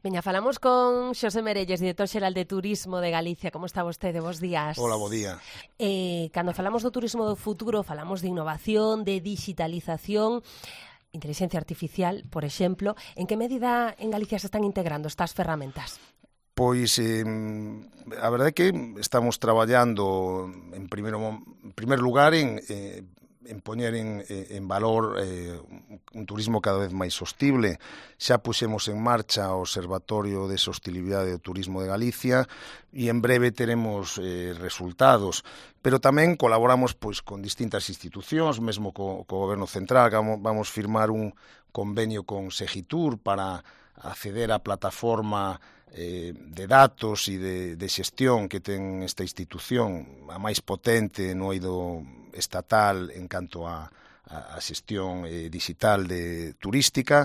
Veña, falamos con Xosé Merelles, director xeral de Turismo de Galicia. Como está vostede? Bos días. Hola, bo día. Cando falamos do turismo do futuro, falamos de innovación, de digitalización, inteligencia artificial, por exemplo. En que medida en Galicia se están integrando estas ferramentas? Pois a verdade é que estamos traballando en primer lugar en poñer en valor un turismo cada vez máis sostible. Xa puxemos en marcha o Observatorio de Sostibilidade do Turismo de Galicia e en breve teremos resultados. Pero tamén colaboramos pois con distintas institucións, mesmo co Goberno Central. Vamos firmar un convenio con Segitur para acceder á plataforma de datos e de xestión que ten esta institución, a máis potente no eido estatal en canto a xestión digital turística.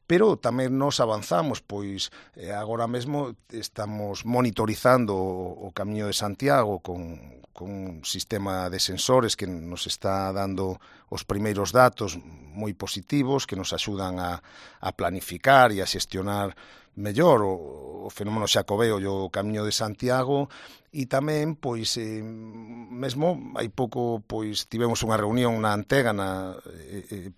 Pero tamén nos avanzamos, pois agora mesmo estamos monitorizando o Camiño de Santiago con un sistema de sensores que nos está dando os primeiros datos moi positivos que nos axudan a planificar e a xestionar mellor o fenómeno xacobeo e o Camiño de Santiago. E tamén, pois, mesmo hai pouco, pois, tivemos unha reunión na Antegana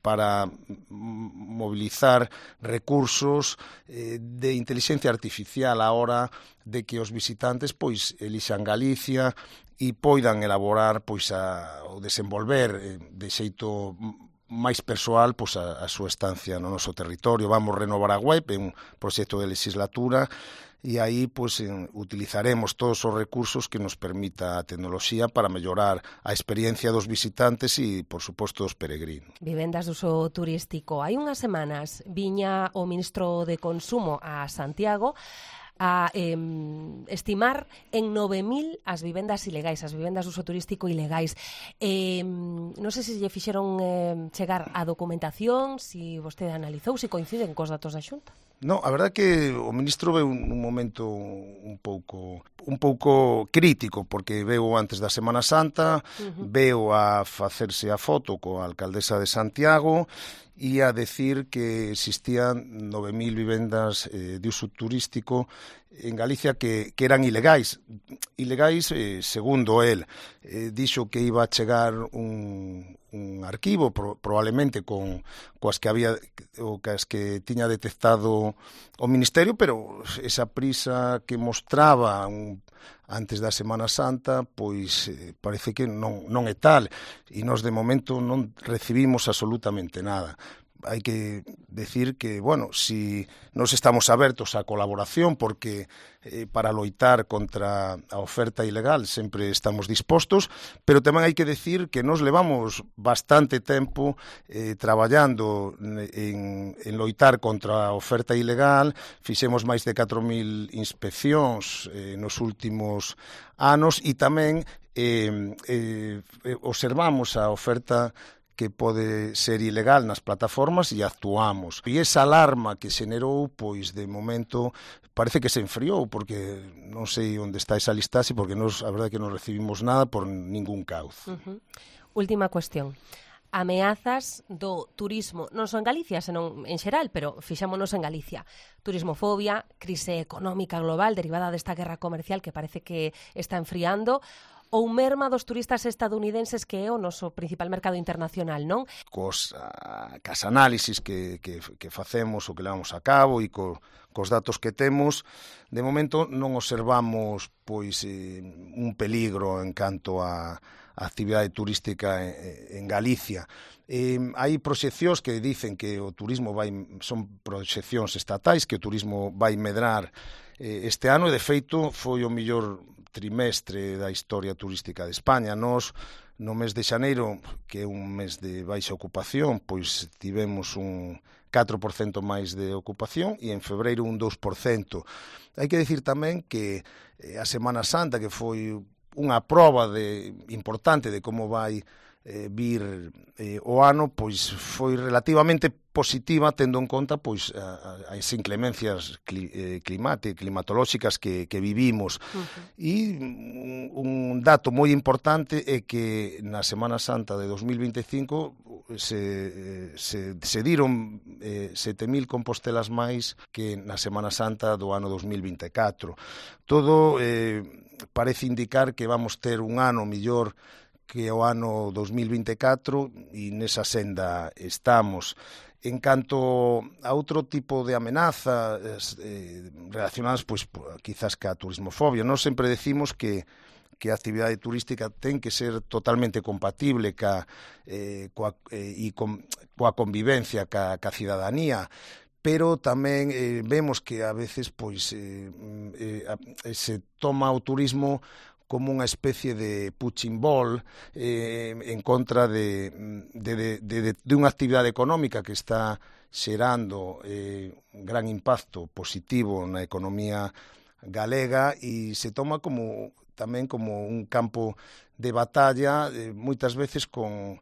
para mobilizar recursos de inteligencia artificial a hora de que os visitantes, pois, elixan Galicia e poidan elaborar, pois, o desenvolver de xeito máis persoal pois a súa estancia no noso territorio. Vamos renovar a web, é un proxecto de legislatura e aí pois utilizaremos todos os recursos que nos permita a tecnoloxía para mellorar a experiencia dos visitantes e, por suposto, dos peregrinos. Vivendas de uso turístico. Hai unhas semanas viña o ministro de Consumo a Santiago a estimar en 9.000 as vivendas ilegais, as vivendas de uso turístico ilegais. Non sei se lle fixeron chegar a documentación, se vostede analizou, se coinciden cos datos da Xunta. No, a verdade é que o ministro veu un momento un pouco crítico, porque veu antes da Semana Santa, veu a facerse a foto coa alcaldesa de Santiago e a decir que existían 9.000 vivendas de uso turístico en Galicia que eran ilegais. Ilegais, segundo el, dixo que iba a chegar un arquivo, probablemente coas que tiña detectado o Ministerio, pero esa prisa que mostraba antes da Semana Santa, pois parece que non é tal, e nós de momento non recibimos absolutamente nada. Hai que decir que, bueno, si nos estamos abertos á colaboración, porque para loitar contra a oferta ilegal sempre estamos dispostos, pero tamén hai que decir que nos levamos bastante tempo traballando en loitar contra a oferta ilegal. Fixemos máis de 4.000 inspeccións nos últimos anos e tamén observamos a oferta que pode ser ilegal nas plataformas e actuamos. E esa alarma que xenerou, pois, de momento, parece que se enfriou, porque non sei onde está esa listaxe, porque a verdade é que non recibimos nada por ningún cauz. Última cuestión. Ameazas do turismo, non só en Galicia, senón en xeral, pero fixámonos en Galicia. Turismofobia, crise económica global derivada desta guerra comercial que parece que está enfriando, ou merma dos turistas estadounidenses que é o noso principal mercado internacional, non? Cas análisis que facemos ou que levamos a cabo e cos datos que temos, de momento non observamos pois un peligro en canto a actividade turística en Galicia. Hai proxeccións que dicen que o turismo son proxeccións estatais, que o turismo vai medrar este ano e, de feito, foi o mellor trimestre da historia turística de España. Nos, no mes de xaneiro, que é un mes de baixa ocupación, pois tivemos un 4% máis de ocupación e en febreiro un 2%. Hai que dicir tamén que a Semana Santa, que foi unha proba importante de como vai vir o ano, pois foi relativamente positiva, tendo en conta pois as inclemencias climatolóxicas que vivimos. E un dato moi importante é que na Semana Santa de 2025 se diron 7.000 compostelas máis que na Semana Santa do ano 2024. Todo parece indicar que vamos ter un ano mellor que o ano 2024 e nesa senda estamos. En canto a outro tipo de amenazas relacionadas, pois, quizás ca turismofobia, nós sempre decimos que a actividade turística ten que ser totalmente compatible coa convivencia ca cidadanía, pero tamén vemos que a veces pois se toma o turismo como unha especie de punching ball en contra de unha actividade económica que está xerando un gran impacto positivo na economía galega e se toma tamén como un campo de batalla, moitas veces con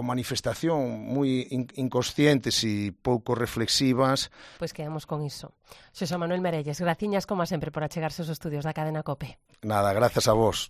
manifestación moi inconscientes e pouco reflexivas. Pois quedamos con iso. Xosé Manuel Merelles, graciñas como sempre por achegarse aos estudios da cadena COPE. Nada, grazas a vos.